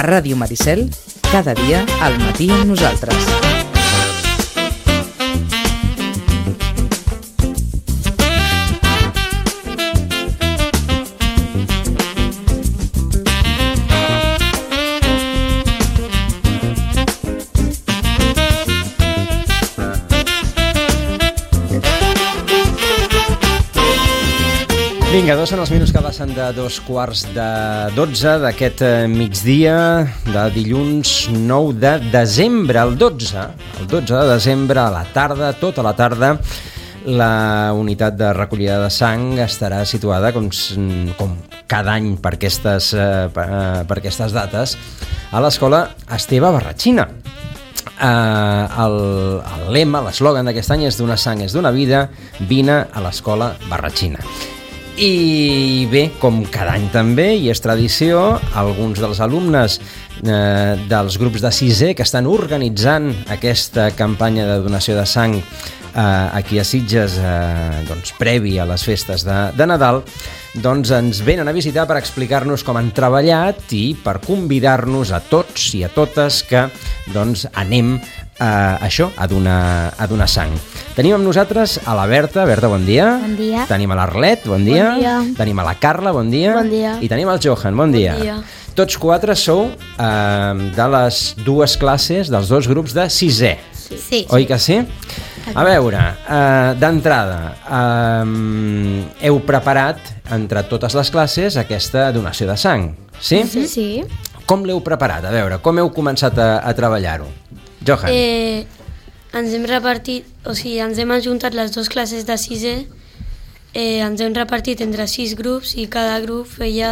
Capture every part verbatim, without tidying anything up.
Ràdio Maricel, cada dia al matí amb nosaltres. Vinga, dos són els minuts que passen de dos quarts de dotze d'aquest migdia de dilluns nou de desembre. El dotze, el dotze de desembre, a la tarda, tota la tarda, la unitat de recollida de sang estarà situada, com, com cada any per aquestes, per aquestes dates, a l'escola Esteve Barratxina. Uh, el, el lema, l'eslògan d'aquest any és donar sang és donar vida, vine a l'escola Barratxina. I bé, com cada any també, i és tradició, alguns dels alumnes eh, dels grups de sisè que estan organitzant aquesta campanya de donació de sang eh, aquí a Sitges, eh, doncs, previ a les festes de, de Nadal, doncs ens venen a visitar per explicar-nos com han treballat i per convidar-nos a tots i a totes que doncs, anem a això, a donar, a donar sang. Tenim amb nosaltres a la Berta. Berta, bon dia. Bon dia. Tenim a l'Arlet, bon dia. Bon dia. Tenim a la Carla, bon dia. Bon dia. I tenim al Johan, bon dia. Bon dia. Tots quatre sou eh, de les dues classes, dels dos grups de sisè. Sí. Oi que sí? A veure, eh, d'entrada, eh, heu preparat entre totes les classes aquesta donació de sang, sí? Sí. sí. Com l'heu preparat? A veure, com heu començat a, a treballar-ho? Johan. Eh, ens hem repartit, o sigui, ens hem ajuntat les dues classes de sisè, eh, ens hem repartit entre sis grups i cada grup feia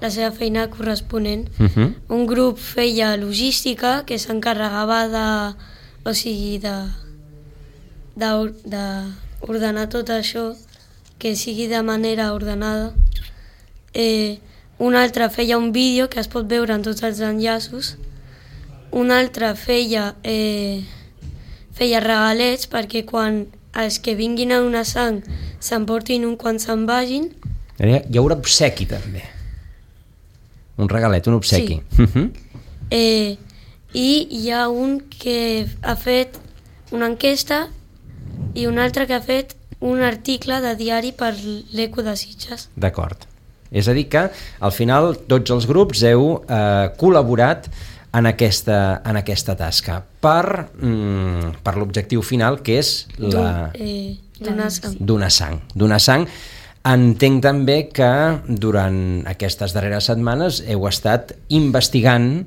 la seva feina corresponent. Uh -huh. Un grup feia logística, que s'encarregava de, o sigui, de, de, de ordenar tot això, que sigui de manera ordenada. Eh, un altre feia un vídeo que es pot veure en tots els enllaços. Un altre feia, eh, feia regalets perquè quan els que vinguin a donar sang s'emportin un quan se'n vagin. Hi haurà obsequi també. Un regalet, un obsequi. Sí. Uh-huh. eh, I hi ha un que ha fet una enquesta i un altre que ha fet un article de diari per l'Eco de Sitges. D'acord. És a dir que al final tots els grups heu eh, col·laborat en aquesta, en aquesta tasca per, mm, per l'objectiu final, que és la... Eh, donar sang. Donar sang. Donar sang. Entenc també que durant aquestes darreres setmanes heu estat investigant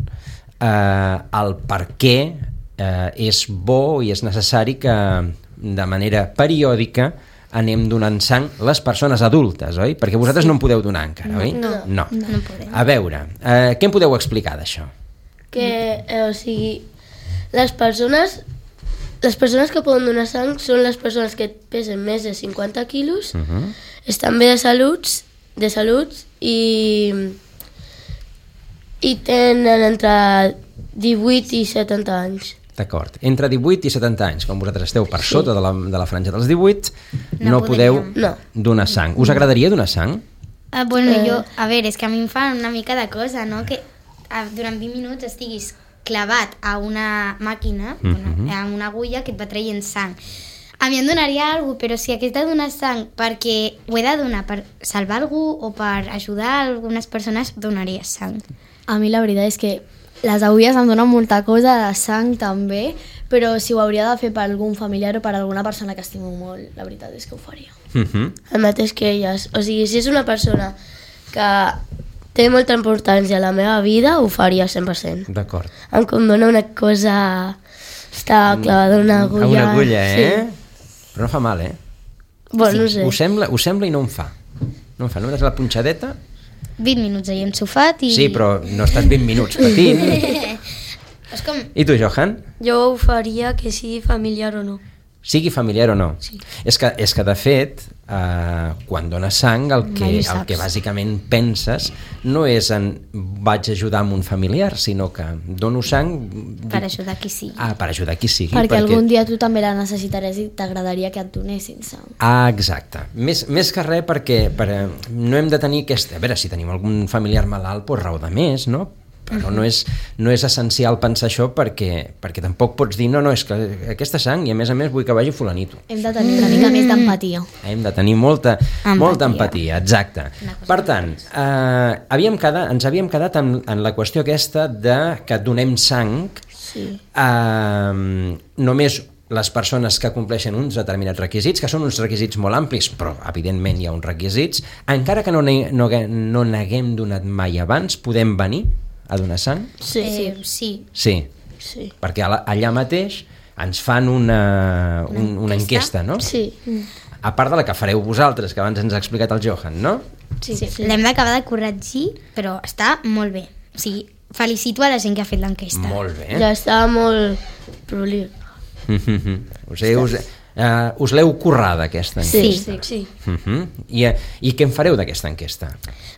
eh, el per què eh, és bo i és necessari que de manera periòdica anem donant sang les persones adultes, oi? Perquè vosaltres sí. no en podeu donar encara, no, oi? No, no. no, no podem. A veure, eh, què em podeu explicar d'això? Que, eh, o sigui, les persones, les persones que poden donar sang són les persones que pesen més de cinquanta quilos, uh -huh. estan bé de salut, de salut i, i tenen entre divuit i setanta anys. D'acord. Entre divuit i setanta anys, com vosaltres esteu per Sí. sota de la, de la franja dels divuit, no, No podeu podem. No. donar sang. Us agradaria donar sang? Ah, bueno, Eh. jo, a veure, és que a mi em fa una mica de cosa, no? Que ah, durant vint minuts estiguis clavat a una màquina, Mhm. bueno, a una agulla que et va traient sang. A mi em donaria alguna cosa, però si hagués de donar sang perquè ho he de donar per salvar algú o per ajudar algunes persones, donaria sang. A mi la veritat és que les agulles em donen molta cosa, de sang també, però si ho hauria de fer per algun familiar o per alguna persona que estimo molt, la veritat és que ho faria. Uh -huh. El mateix que elles. O sigui, si és una persona que té molta importància a la meva vida, ho faria cent per cent. D'acord. Em condona una cosa... Està clavada una agulla... A una agulla, eh? Sí. Però no fa mal, eh? Bueno, no sé. Us sembla, us sembla i no em fa. No em fa. Només la punxadeta... vint minuts allà ensofat i... Sí, però no estàs vint minuts patint. És com... I tu, Johan? Jo ho faria que sigui familiar o no. Sigui familiar o no. Sí. És que, és que de fet, eh, quan dones sang, el que, Mai ho el saps. que bàsicament penses no és en vaig ajudar amb un familiar, sinó que dono sang... per ajudar qui sigui. Ah, per ajudar qui sigui. Perquè, perquè algun dia tu també la necessitaràs i t'agradaria que et donessin sang. Ah, exacte. Més, més que res perquè per, no hem de tenir aquesta... A veure, si tenim algun familiar malalt, doncs raó de més, no? però no és, no és essencial pensar això perquè, perquè tampoc pots dir no, no, és que aquesta sang i a més a més vull que vagi fulanito. Hem de tenir una mica més d'empatia. Hem de tenir molta empatia, molta empatia exacte. Per tant, eh, havíem quedat, ens havíem quedat en, en la qüestió aquesta de que donem sang Sí. eh, només les persones que compleixen uns determinats requisits, que són uns requisits molt amplis, però evidentment hi ha uns requisits, encara que no, ne, no, no n'haguem donat mai abans, podem venir a donar sang? Sí. Eh, sí. Sí, Sí. perquè allà mateix ens fan una, un, una enquesta, no? Sí. A part de la que fareu vosaltres, que abans ens ha explicat el Johan, no? Sí, sí. L'hem d'acabar de corregir, però està molt bé. O sigui, felicito a la gent que ha fet l'enquesta. Molt bé. Ja estava molt proliu. us he, us, uh, us l'heu currada, aquesta enquesta? Sí. Sí. Uh -huh. I, I què en fareu d'aquesta enquesta?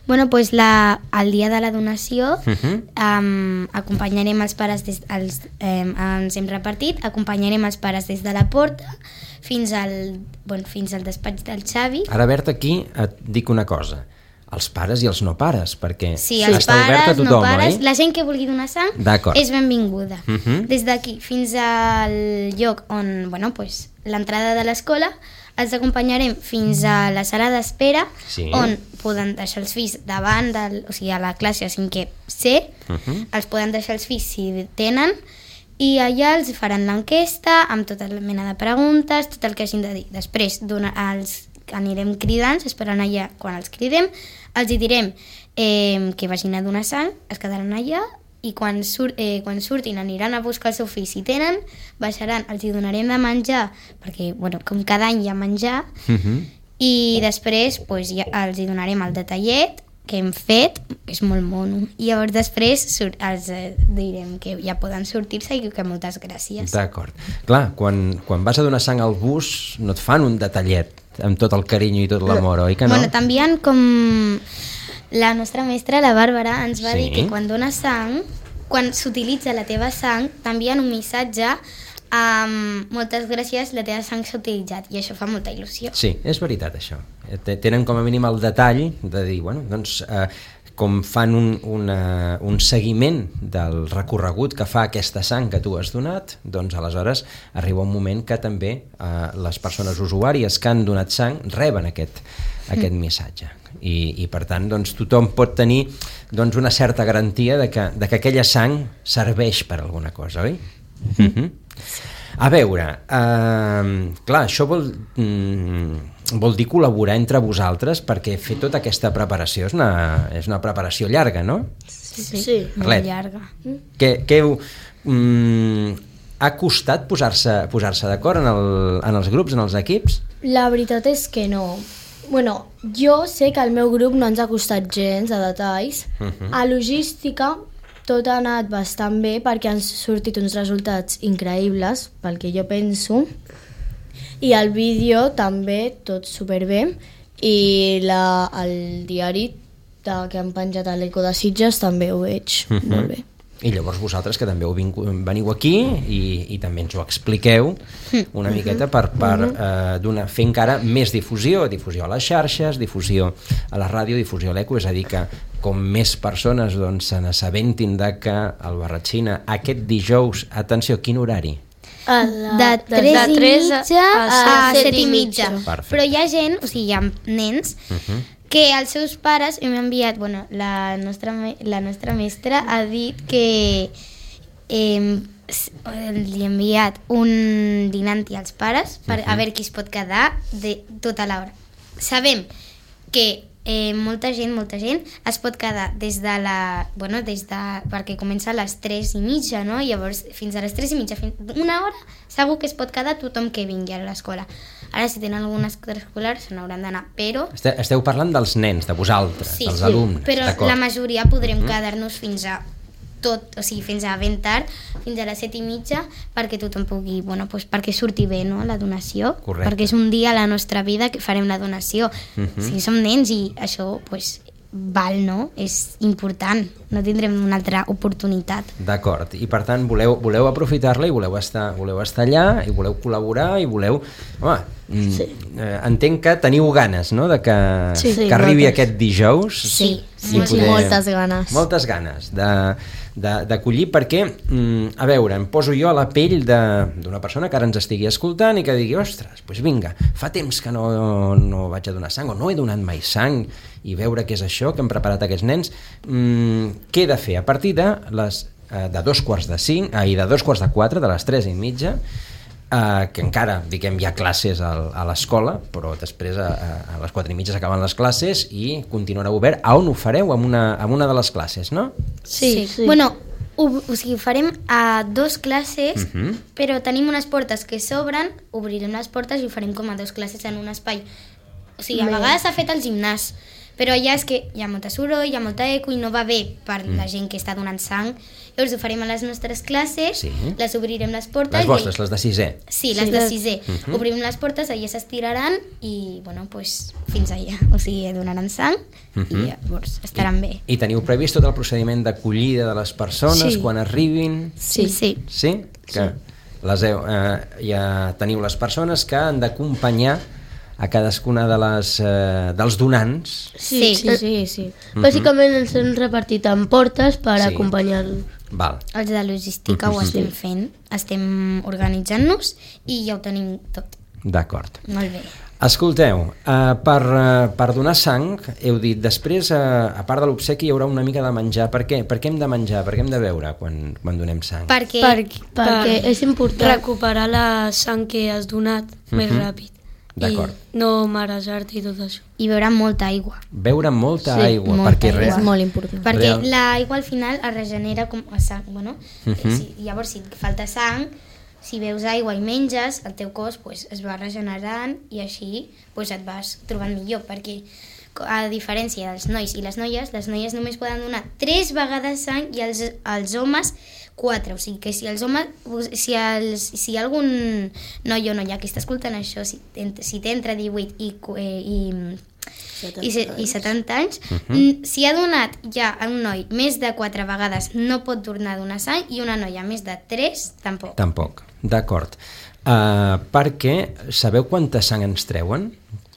Bueno, pues la, el dia de la donació Uh -huh. um, acompanyarem els pares, des, els, um, ens hem repartit, acompanyarem els pares des de la porta fins al, bueno, fins al despatx del Xavi. Ara, Berta, aquí et dic una cosa. Els pares i els no pares, perquè Sí, els està obert a pares, tothom, no pares, oi? la gent que vulgui donar sang D'acord. és benvinguda. Uh -huh. Des d'aquí fins al lloc on, bueno, pues, l'entrada de l'escola, els acompanyarem fins a la sala d'espera, Sí. on poden deixar els fills davant, del, o sigui, a la classe a cinquè C, Uh -huh. els poden deixar els fills si tenen, i allà els faran l'enquesta amb tota la mena de preguntes, tot el que hagin de dir. Després dona, els anirem cridant, esperant allà quan els cridem, els hi direm eh, que vagin a donar sang, es quedaran allà i quan, sur eh, quan surtin aniran a buscar el seu fill si tenen, baixaran, els hi donarem de menjar, perquè bueno, com cada any hi ha menjar, Uh -huh. i després pues, ja els hi donarem el detallet que hem fet, que és molt mono, i llavors després sur els eh, direm que ja poden sortir-se i que moltes gràcies. D'acord. Clar, quan, quan vas a donar sang al bus no et fan un detallet amb tot el carinyo i tot l'amor, oi que no? Bueno, també hi ha com... La nostra mestra, la Bàrbara, ens va Sí. dir que quan dones sang, quan s'utilitza la teva sang, t'envien un missatge amb moltes gràcies, la teva sang s'ha utilitzat, i això fa molta il·lusió. Sí, és veritat això. T- Tenen com a mínim el detall de dir, bueno, doncs, eh, com fan un, una, un seguiment del recorregut que fa aquesta sang que tu has donat, doncs aleshores arriba un moment que també eh, les persones usuàries que han donat sang reben aquest, aquest mm. missatge. I, i per tant doncs, tothom pot tenir doncs, una certa garantia de que, de que aquella sang serveix per alguna cosa, oi? Mm. Mm-hmm. A veure, eh, clar, això vol, mm, vol dir col·laborar entre vosaltres, perquè fer tota aquesta preparació és una, és una preparació llarga, no? Sí, Sí. molt Arlet. llarga. Què, què heu, mm, ha costat posar-se posar-se d'acord en, el, en els grups, en els equips? La veritat és que no. Bueno, jo sé que al meu grup no ens ha costat gens de detalls. Mhm. A logística tot ha anat bastant bé perquè han sortit uns resultats increïbles, pel que jo penso. I el vídeo també, tot superbé. I la, el diari de, que han penjat a l'Eco de Sitges també ho veig Mhm. molt bé. I llavors vosaltres que també heu vingut, veniu aquí i, i també ens ho expliqueu una miqueta per, per eh, donar, fer encara més difusió, difusió a les xarxes, difusió a la ràdio, difusió a l'Eco, és a dir que com més persones doncs, se n'assabentin de que el Barratxina aquest dijous, atenció, quin horari? A la, De tres de i tres a- mitja a a set set i i mitja. Perfecte. Però hi ha gent, o sigui, hi ha nens, Uh-huh. que els seus pares hem enviat, bueno, la nostra, me- la nostra mestra ha dit que eh, s- li ha enviat un dinanti als pares per a veure qui es pot quedar de tota l'hora. Sabem que eh, molta gent, molta gent es pot quedar des de la... Bueno, des de... perquè comença a les tres i mitja, no? Llavors, fins a les tres i mitja, fins una hora, segur que es pot quedar tothom que vingui a l'escola. Ara, si tenen algun extraescolar, se n'hauran d'anar, però... Esteu, esteu parlant dels nens, de vosaltres, Sí, dels sí, alumnes, però d'acord. la majoria podrem quedar-nos fins a tot, o sigui, fins a ben tard, fins a les set i mitja, perquè tothom pugui, bueno, pues perquè surti bé, no?, la donació. Correcte. Perquè és un dia a la nostra vida que farem la donació. Mhm. O sigui, som nens i això, pues, val, no? És important, no tindrem una altra oportunitat. D'acord, i per tant voleu, voleu aprofitar-la i voleu estar, voleu estar allà i voleu col·laborar i voleu... Home, sí. eh, entenc que teniu ganes, no?, de que, sí, sí, que arribi moltes. aquest dijous. Sí, i sí, moltes ganes. Moltes ganes de, de, d'acollir, perquè, mm, a veure, em poso jo a la pell d'una persona que ara ens estigui escoltant i que digui, ostres, doncs vinga, fa temps que no, no vaig a donar sang o no he donat mai sang, i veure què és això que hem preparat aquests nens. Mm, què he de fer? A partir de les eh, de dos quarts de cinc, eh, i de dos quarts de quatre, de les tres i mitja, eh, que encara, diguem, hi ha classes a, a l'escola, però després a, a les quatre i mitja s'acaben les classes i continuarà obert. A on ho fareu? En una, en una de les classes, no? Sí, sí. Bueno, ho, o sigui, ho farem a dos classes, Uh-huh. però tenim unes portes que s'obren, obrirem les portes i ho farem com a dos classes en un espai. O sigui, a vegades s'ha fet al gimnàs, però allà és que hi ha molta soroll, hi ha molta eco i no va bé per mm. la gent que està donant sang. Llavors ho farem a les nostres classes, Sí. les obrirem les portes... Les vostres, i... les de sisè. Sí, les Sí, de les- sisè. Mhm. Obrim les portes, allà s'estiraran i, bueno, pues, fins allà. O sigui, donaran sang Mhm. i llavors estaran bé. I teniu previst tot el procediment d'acollida de les persones Sí. quan arribin? Sí, sí. Sí? Que les heu, eh, ja teniu les persones que han d'acompanyar a cadascuna de les, eh, dels donants. Sí. Sí, sí, sí. Bàsicament ens hem repartit en portes per Sí. acompanyar-lo. Val. Els de logística ho estem fent, estem organitzant-nos i ja ho tenim tot. D'acord. Molt bé. Escolteu, eh, per, eh, per donar sang, heu dit, després, eh, a part de l'obsequi, hi haurà una mica de menjar. Per què? Per què hem de menjar? Per què hem de beure quan, quan donem sang? Perquè Per, Perquè és important. recuperar la sang que has donat més Mhm. ràpid. D'acord. I no marejar-te i tot això. hi beurà molta aigua. Beure molta Sí, aigua, molta perquè aigua. res... És molt important. Perquè Real. l'aigua al final es regenera com a sang, bueno, Mhm. eh, si, llavors si et falta sang, si beus aigua i menges, el teu cos pues, es va regenerant i així pues, et vas trobant millor, perquè a diferència dels nois i les noies, les noies només poden donar tres vegades sang i els, els homes quatre, o sigui que si els homes, si, els, si hi ha algun noi o noia que està escoltant això, si, si té entre divuit i, cu- eh, i i, se, i setanta anys, uh-huh. si ha donat ja a un noi més de quatre vegades no pot tornar a donar sang i una noia més de tres tampoc. Tampoc, d'acord. Uh, perquè sabeu quanta sang ens treuen?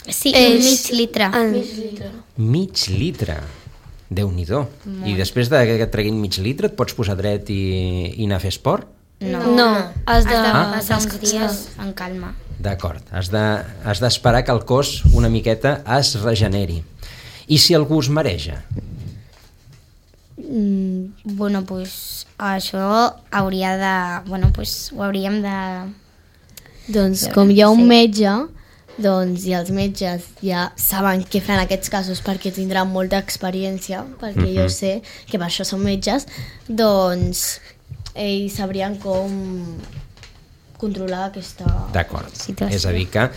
Sí, És- un mig litre. En, Mig litre. Déu-n'hi-do. I després de que et treguin mig litre et pots posar dret i, i anar a fer esport? No, no, has has de... de Ah. passar uns dies en calma. D'acord, has de- has d'esperar que el cos una miqueta es regeneri. I si algú es mareja? Mm, bueno, pues això hauria de... Bueno, pues ho hauríem de... Doncs com hi ha un Sí. metge, doncs i els metges ja saben què fer en aquests casos perquè tindran molta experiència, perquè Mhm. jo sé que per això són metges, doncs ells sabrien com controlar aquesta... D'acord. Situació. És a dir, que,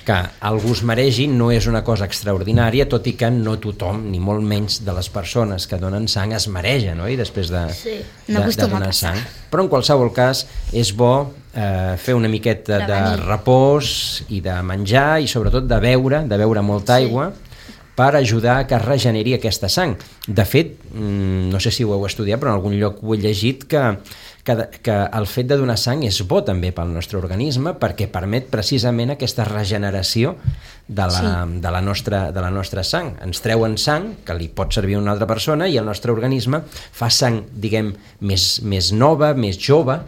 que algú es maregi no és una cosa extraordinària, tot i que no tothom, ni molt menys de les persones que donen sang, es mareja, no? I després de, Sí. de, No de acostuma a donar passar. sang. Però en qualsevol cas és bo eh, fer una miqueta de Prevenir. repòs i de menjar i sobretot de beure, de beure molta aigua, per ajudar a que es regeneri aquesta sang. De fet, mm, no sé si ho heu estudiat, però en algun lloc ho he llegit, que, que, que el fet de donar sang és bo també pel nostre organisme perquè permet precisament aquesta regeneració de la, sí. de la, nostra, de la nostra sang. Ens treuen sang, que li pot servir a una altra persona, i el nostre organisme fa sang, diguem, més, més nova, més jove,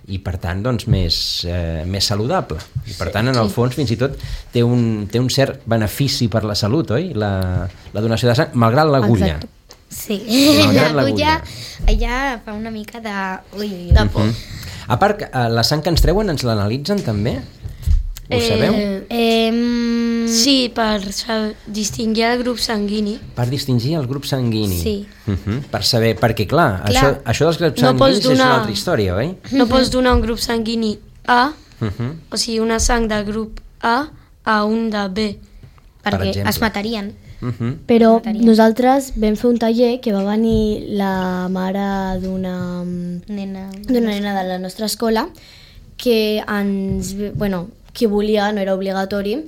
i per tant doncs, més, eh, més saludable. I per tant, en el fons, fins i tot té un, té un cert benefici per la salut, oi? La, la donació de sang, malgrat l'agulla. Exacte. Sí, Malgrat l'agulla l'agulla. allà fa una mica de... Ui, ui, ui. De por. A part, eh, la sang que ens treuen ens l'analitzen també? Ho Eh, sabeu? Eh, Sí, per sa- distingir el grup sanguini. Per distingir el grup sanguini. Sí. Uh -huh. Per saber, perquè clar, Clar. Això, això dels grups No sanguinis pots donar- és una altra història, oi? No pots donar un grup sanguini A, Uh -huh. o sigui, una sang de grup A a un de B. perquè exemple. es matarien. Uh -huh. Però Mataria. nosaltres vam fer un taller que va venir la mare d'una Nena. d'una nena de la nostra escola que ens, bueno, qui volia, no era obligatori,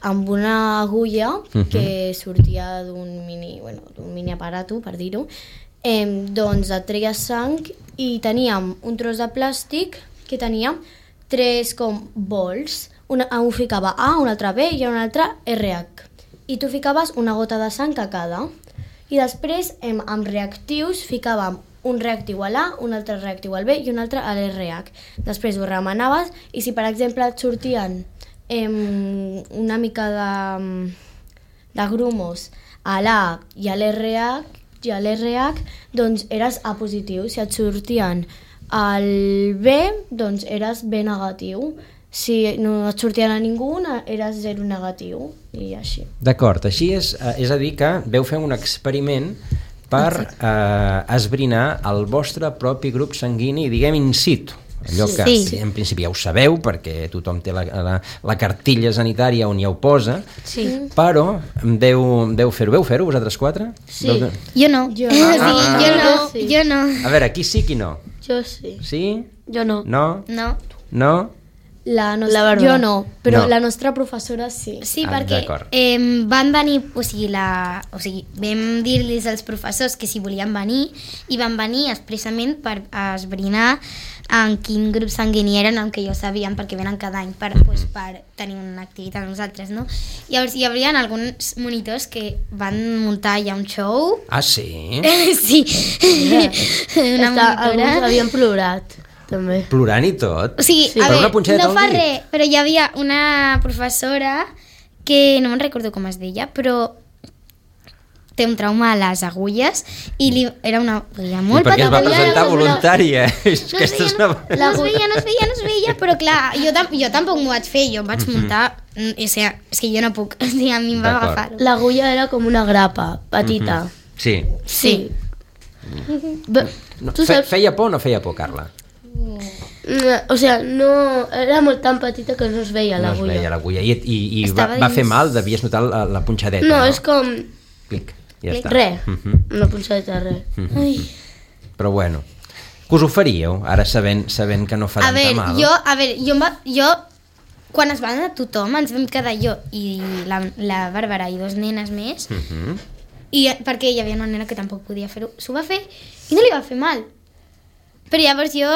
amb una agulla uh-huh. que sortia d'un mini, bueno, d'un mini aparato, per dir-ho, eh, doncs et treia sang i teníem un tros de plàstic que tenia tres com bols. Una, un ficava A, un altre B i un altre R H. I tu ficaves una gota de sang a cada. I després, em, amb reactius, ficàvem un reactiu a l'A, un altre reactiu al B i un altre a l'R H. Després ho remenaves i si, per exemple, et sortien em, una mica de, de grumos a l'A i a l'R H, i a l'R H, doncs eres A positiu. Si et sortien al B, doncs eres B negatiu. Si no et sortien a ningú, eres zero negatiu, i així. D'acord, així és, és a dir que veu fer un experiment per eh, esbrinar el vostre propi grup sanguini, diguem, in situ. Allò que sí. en principi ja ho sabeu, perquè tothom té la, la, la cartilla sanitària on ja ho posa, sí. però deu, deu fer-ho. Veu fer-ho, vosaltres quatre? Sí. Deu... Jo no. Jo no. Ah, sí, ah, jo, no. Sí. jo no. A veure, qui sí, qui no? Jo sí. Sí? Jo no. No? No. No? La nostra, la jo no, però no. La nostra professora sí. Sí, ah, perquè eh, van venir, o sigui, la, o sigui, vam dir-los als professors que si volien venir i van venir expressament per esbrinar en quin grup sanguini eren, el que ja ho sabíem perquè venen cada any per, pues, per tenir una activitat amb nosaltres, no? Llavors hi havia alguns monitors que van muntar ja un show. Ah, sí? Sí. Yeah. Una Està, alguns havien plorat. També. Plorant i tot? O sigui, sí. a veure, no fa dit. res, però hi havia una professora que no me'n recordo com es deia, però té un trauma a les agulles i li, era una agulles molt petita. I perquè es va presentar una... voluntària. No, es veia, no, no es veia, no es veia, no es veia, però clar, jo, tam jo tampoc m'ho vaig fer, jo em vaig muntar, o sigui, és que jo no puc, o sigui, a mi em va agafar. L'agulla era com una grapa, petita. Mm-hmm. Sí. Sí. Mm. No, fe feia por o no feia por, Carla? No, o sea, no, era molt tan petita que no es veia l'agulla. No es veia l'agulla. I, i, i va, va fer mal? Devies notar la, la punxadeta? No, no, és com... Clic, ja Clic. està. Res, uh -huh. una punxadeta, res. Uh -huh. Però bueno, que us ho faríeu, ara sabent, sabent que no fa a tanta veure, mal? Jo, a veure, jo, va, jo, quan es va anar tothom, ens vam quedar jo i la, la Bàrbara i dos nenes més, uh -huh. i perquè hi havia una nena que tampoc podia fer-ho, s'ho va fer i no li va fer mal. Però llavors jo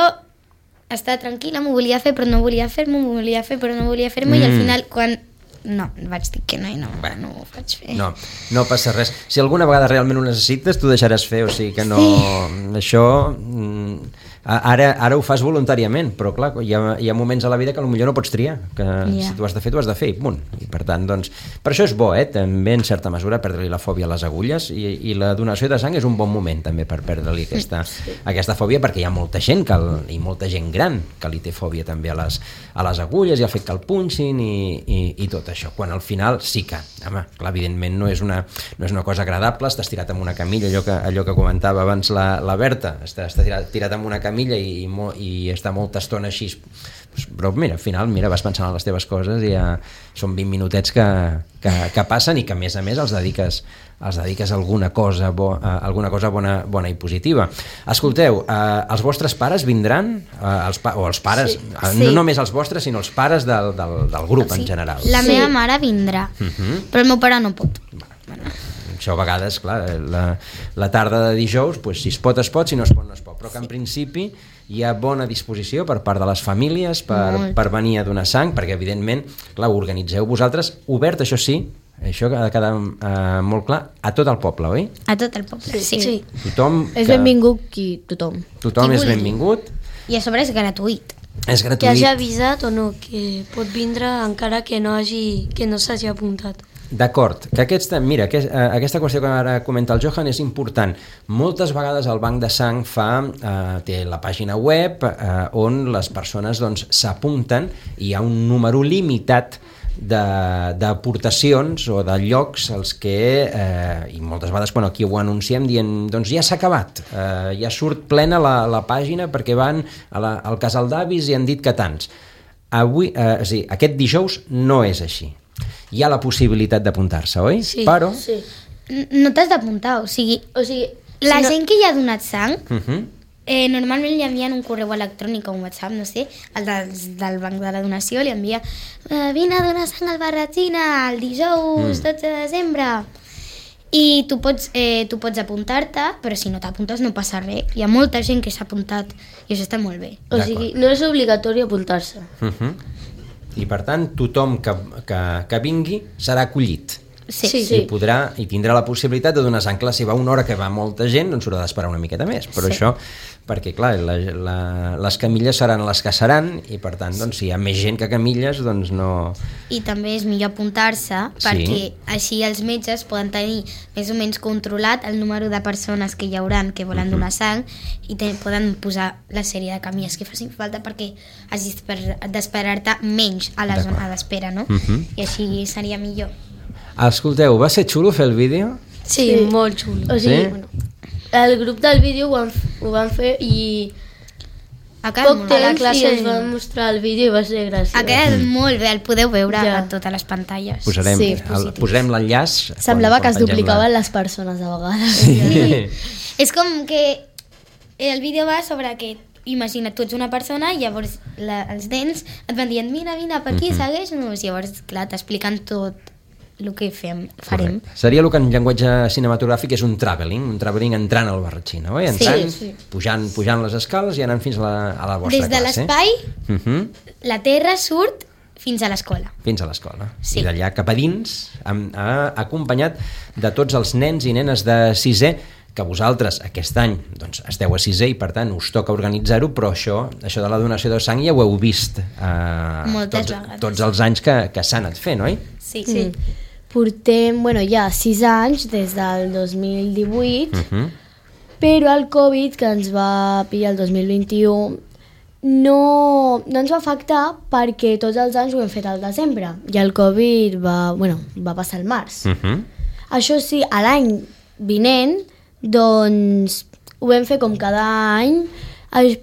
estava tranquil·la, m'ho volia fer però no volia fer-m'ho, m'ho volia fer però no volia fer-m'ho mm. i al final quan... No, vaig dir que no i no, bueno, no ho faig fer. No, no passa res. Si alguna vegada realment ho necessites, tu deixaràs fer, o sigui que no... Sí. Això... Ara, ara ho fas voluntàriament, però clar, hi ha, hi ha moments a la vida que potser no pots triar, que yeah. si tu has de fer, tu has de fer, i punt. I per tant, doncs, per això és bo, eh, també en certa mesura perdre-li la fòbia a les agulles i, i la donació de sang és un bon moment també per perdre-li aquesta, sí. aquesta fòbia, perquè hi ha molta gent que el, i molta gent gran que li té fòbia també a les, a les agulles i al fet que el punxin i, i, i tot això, quan al final sí que, home, clar, evidentment no és una, no és una cosa agradable, estàs tirat en una camilla, allò que, allò que comentava abans la, la Berta, està, està tirat, tirat en una camilla i, i, i està molta estona així, però mira, al final mira, vas pensant en les teves coses i ja són vint minutets que, que, que passen i que a més a més els dediques, els dediques a alguna cosa, bo, a alguna cosa bona, bona i positiva. Escolteu, eh, els vostres pares vindran? Eh, els pa o els pares, sí. eh, no sí. només els vostres, sinó els pares del, del, del grup sí. en general. La sí. meva mare vindrà, uh -huh. però el meu pare no pot. Bueno. Això a vegades, clar, la, la tarda de dijous, pues, si es pot, es pot, si no es pot, no es pot. Però que en principi hi ha bona disposició per part de les famílies per, per venir a donar sang, perquè evidentment, clar, ho organitzeu vosaltres, obert, això sí, això ha de quedar uh, molt clar, a tot el poble, oi? A tot el poble, sí. sí. Tothom és que... benvingut qui tothom. Tothom qui és benvingut. I a sobre és gratuït. És gratuït. Que hagi avisat o no, que pot vindre encara que no hagi, que no s'hagi apuntat. D'acord, que aquesta, mira, que, uh, aquesta qüestió que ara comenta el Johan és important. Moltes vegades el Banc de Sang fa, uh, té la pàgina web uh, on les persones doncs s'apunten i hi ha un número limitat d'aportacions o de llocs als que, eh, i moltes vegades quan aquí ho anunciem dient, doncs ja s'ha acabat, eh, ja surt plena la, la pàgina perquè van a la, al casal d'avis i han dit que tants. Avui, eh, sí, aquest dijous no és així. Hi ha la possibilitat d'apuntar-se, oi? Sí. Però... Sí. No t'has d'apuntar, o sigui, o sigui la si no... gent que ja ha donat sang, uh -huh. Eh, normalment li envien un correu electrònic o un WhatsApp, no sé, el dels, del banc de la donació, li envia eh, vine a donar sang al Barratxina el dijous mm. dotze de desembre. I tu pots, eh, tu pots apuntar-te, però si no t'apuntes no passa res. Hi ha molta gent que s'ha apuntat i això està molt bé. O sigui, no és obligatori apuntar-se. Uh-huh. I per tant, tothom que, que, que vingui serà acollit. Sí. Sí. I podrà i tindrà la possibilitat de donar sang. Clar, si va una hora que va molta gent, doncs s'haurà d'esperar una miqueta més. Però Sí. això, perquè clar, la, la, les camilles seran les que seran i per tant, doncs, si hi ha més gent que camilles, doncs no... I també és millor apuntar-se Sí. perquè així els metges poden tenir més o menys controlat el número de persones que hi hauran que volen donar sang i te, poden posar la sèrie de camilles que facin falta perquè hagis d'esperar-te menys a la D'acord. zona d'espera, no? Mhm. I així seria millor. Escolteu, va ser xulo fer el vídeo? Sí, Sí. molt xulo. O sigui, Sí? bueno, el grup del vídeo ho van, ho van fer i Ha quedat, poc molt, bé. la temps classe- i ens van mostrar el vídeo i va ser graciós. ha quedat molt bé, el podeu veure Ja. a totes les pantalles. Posarem, Sí, el, posarem l'enllaç. Semblava quan- que es quan pengem duplicaven la- les persones a vegades. Sí. És com que el vídeo va sobre que imagina't, tu ets una persona i llavors la, els nens et van dient mira, mira, per aquí, Mhm. segueix-nos. Llavors, clar, t'expliquen tot el que fem, farem. Correcte. Seria el que en llenguatge cinematogràfic és un travelling, un travelling entrant al Barratxina, oi? Entrant, Sí, sí. Pujant, pujant les escales i anant fins a la, a la vostra Des de classe. l'espai, Uh -huh. la Terra surt fins a l'escola. Fins a l'escola. Sí. I d'allà cap a dins, amb, ha acompanyat de tots els nens i nenes de sisè, que vosaltres aquest any doncs, esteu a sisè i per tant us toca organitzar-ho, però això, això de la donació de sang ja ho heu vist eh, Moltes tots, vegades. tots els anys que, que s'ha anat fent, oi? Sí, Sí. Portem, bueno, ja sis anys des del dos mil divuit, Uh -huh. però el Covid, que ens va pillar el dos mil vint-i-u, no, no ens va afectar perquè tots els anys ho hem fet al desembre i el Covid va, bueno, va passar al març. Uh -huh. Això sí, a l'any vinent, doncs ho vam fer com cada any,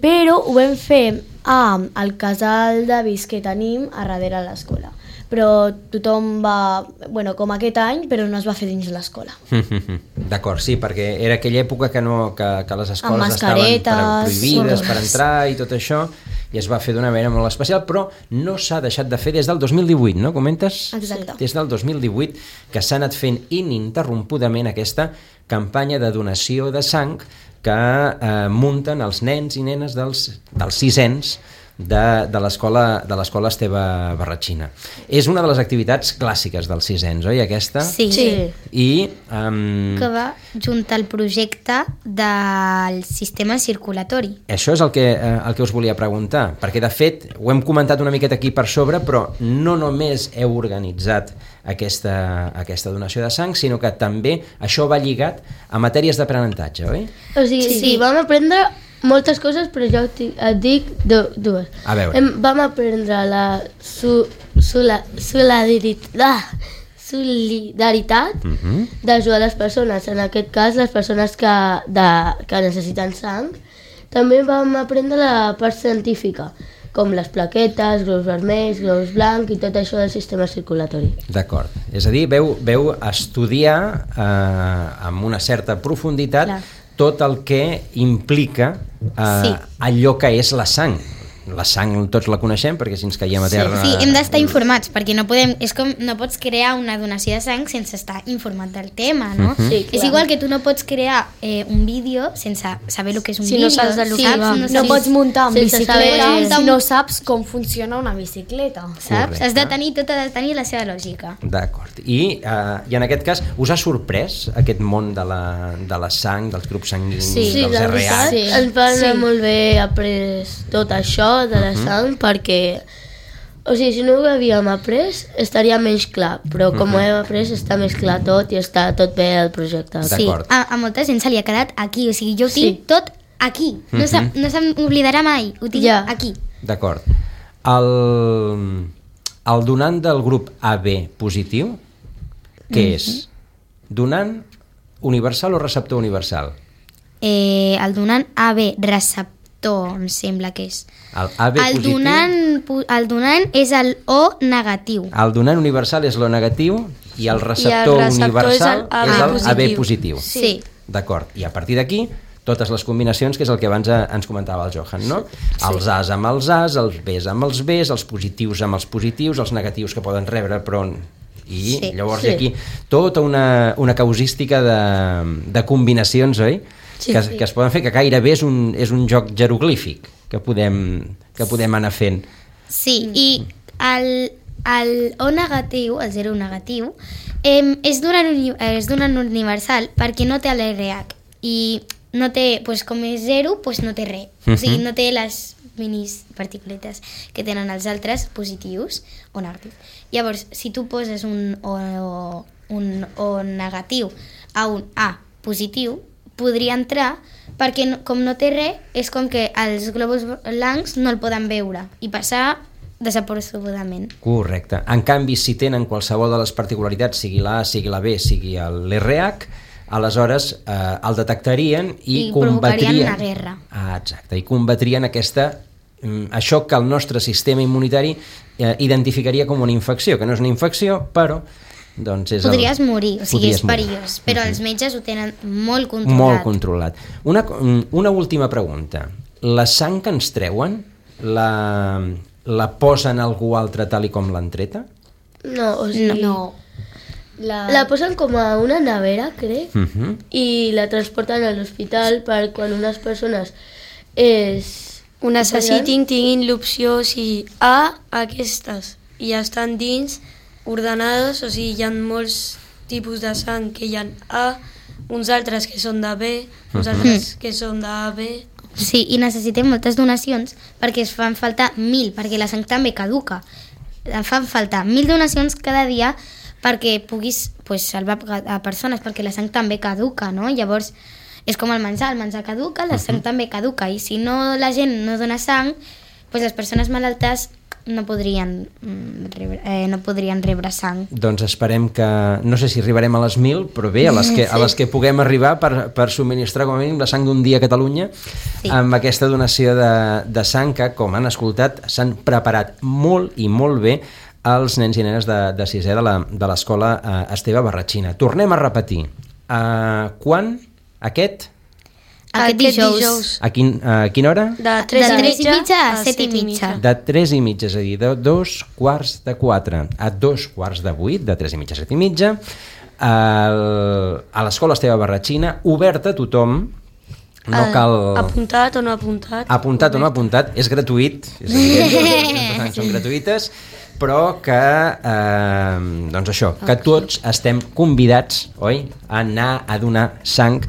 però ho vam fer al casal d'avis que tenim a darrere de l'escola. Però tothom va, bueno, com aquest any, però no es va fer dins l'escola. D'acord, sí, perquè era aquella època que, no, que, que les escoles Amb estaven mascaretes, prohibides per sí. entrar i tot això, i es va fer d'una manera molt especial, però no s'ha deixat de fer des del dos mil divuit, no? Comentes? Exacte. Des del dos mil divuit que s'ha anat fent ininterrompudament aquesta campanya de donació de sang que eh, munten els nens i nenes dels, dels sisens de, de l'escola de l'escola Esteve Barratxina. És una de les activitats clàssiques dels sisens, oi, aquesta? Sí. Sí. I um, Que va junt al projecte del sistema circulatori. això és el que, eh, el que us volia preguntar, perquè de fet ho hem comentat una miqueta aquí per sobre, però no només heu organitzat aquesta, aquesta donació de sang, sinó que també això va lligat a matèries d'aprenentatge, oi? O sigui, Sí. sí. sí, vam aprendre moltes coses, però jo et, et dic do, dues. A veure. Em, vam aprendre la su, sula, solidaritat, ah, solidaritat Uh -huh. d'ajudar les persones, en aquest cas les persones que, de, que necessiten sang. També vam aprendre la part científica, com les plaquetes, globus vermells, globus blancs i tot això del sistema circulatori. D'acord. És a dir, veu, veu estudiar eh, amb una certa profunditat Clar. tot el que implica eh, Sí. allò que és la sang. La sang tots la coneixem perquè si ens caiem a terra... Sí, hem d'estar informats, perquè no podem, és com no pots crear una donació de sang sense estar informat del tema, no? Mhm. Sí, És clar. igual que tu no pots crear eh, un vídeo sense saber el que és un Si no vídeo. saps de lo que saps? va. No, No saps, pots muntar amb sense bicicleta saber- si no saps com funciona una bicicleta. saps? Correcte. Has de tenir, tot ha de tenir la seva lògica. D'acord. I, eh, I en aquest cas, us ha sorprès aquest món de la, de la sang, dels grups sanguinis, Sí, dels la R veritat, H? Sí. ens va anar Sí. molt bé après tot això de la sang, perquè, o sigui, si no ho havíem après, estaria menys clar, però com ho hem après, està més clar tot i està tot bé el projecte. D'acord. Sí, a, a molta gent se li ha quedat aquí, o sigui, jo ho Sí. tinc tot aquí. No se, no se m'oblidarà mai, ho tinc Ja. aquí. D'acord. El, el donant del grup A B positiu, què és? Donant universal o receptor universal? Eh, el donant A B receptor, em sembla que és. El A B El positiu... donant, pu- el donant és el O negatiu. El donant universal és l'O negatiu i el receptor, receptor universal és el A B és el A B positiu. positiu. Sí. D'acord. I a partir d'aquí, totes les combinacions, que és el que abans ens comentava el Johan, no? Sí. Els As amb els As, els Bs amb els Bs, els positius amb els positius, els negatius que poden rebre, però... I sí, llavors sí. Aquí tota una, una causística de, de combinacions, oi? Sí, que, sí. que es poden fer, que gairebé és un, és un joc jeroglífic que podem, que podem anar fent. Sí, i el, el O negatiu, el zero negatiu, eh, és d'un universal perquè no té l'R H i no té, pues, com és zero, pues no té res. Uh -huh. O sigui, no té les minis particuletes que tenen els altres positius o negatius. Llavors, si tu poses un O, un O negatiu a un A positiu, podria entrar perquè no, com no té res, és com que els glòbuls blancs no el poden veure i passar desapercebudament. Correcte. En canvi, si tenen qualsevol de les particularitats, sigui la A, sigui la B, sigui l'R H, aleshores eh, el detectarien i, I combatrien... provocarien una guerra. Ah, exacte, i combatrien aquesta... això que el nostre sistema immunitari eh, identificaria com una infecció, que no és una infecció, però doncs és podries el... morir, o sigui, és morir. perillós, però uh-huh. els metges ho tenen molt controlat. Molt controlat. Una, una última pregunta. La sang que ens treuen, la, la posen a algú altre tal i com l'han treta? No, o sigui... No. La... la posen com a una nevera, crec, uh-huh. i la transporten a l'hospital per quan unes persones és... ho necessitin, tinguin l'opció, o sigui, A, aquestes, i ja estan dins, ordenades, o sigui, hi ha molts tipus de sang que hi ha A, uns altres que són de B, uns uh-huh. altres que són de A B. Sí, i necessitem moltes donacions perquè es fan falta mil, perquè la sang també caduca. En fan falta mil donacions cada dia perquè puguis pues, salvar a persones, perquè la sang també caduca, no? Llavors, és com el menjar, el menjar caduca, la sang uh-huh. també caduca, i si no la gent no dona sang, pues les persones malaltes no podrien, rebre, eh, no podrien rebre sang. Doncs esperem que, no sé si arribarem a les mil, però bé, a les que, sí. a les que puguem arribar per, per subministrar com a mínim la sang d'un dia a Catalunya, sí. amb aquesta donació de, de sang que, com han escoltat, s'han preparat molt i molt bé els nens i nenes de, de sisè de l'escola eh, Esteve Barratxina. Tornem a repetir. Uh, quan? Aquest? Aquest dijous. A, quin, a quina hora? De tres i mitja a set i mitja. De tres i mitja, és a dir, de dos quarts de quatre a dos quarts de vuit, de tres i mitja a set i mitja, el, a l'escola Esteve Barratxina, oberta a tothom. No cal... Apuntat o no apuntat. Apuntat o no apuntat, és gratuït, és evident, les són gratuïtes, però que, eh, doncs això, que tots estem convidats, oi?, a anar a donar sang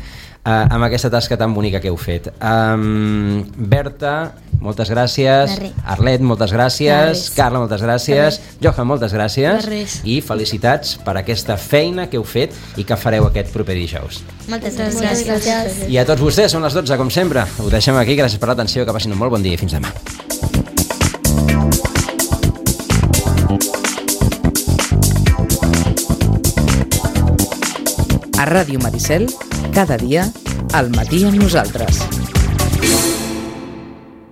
eh, amb aquesta tasca tan bonica que heu fet. Um, Berta, moltes gràcies. Arlet, moltes gràcies. Carla, moltes gràcies. Johan, moltes gràcies. I felicitats per aquesta feina que heu fet i que fareu aquest proper dijous. Moltes gràcies. gràcies. I a tots vostès, són les dotze, com sempre. Ho deixem aquí, gràcies per l'atenció, que passin un molt bon dia i fins demà. A Ràdio Maricel, cada dia, al matí amb nosaltres.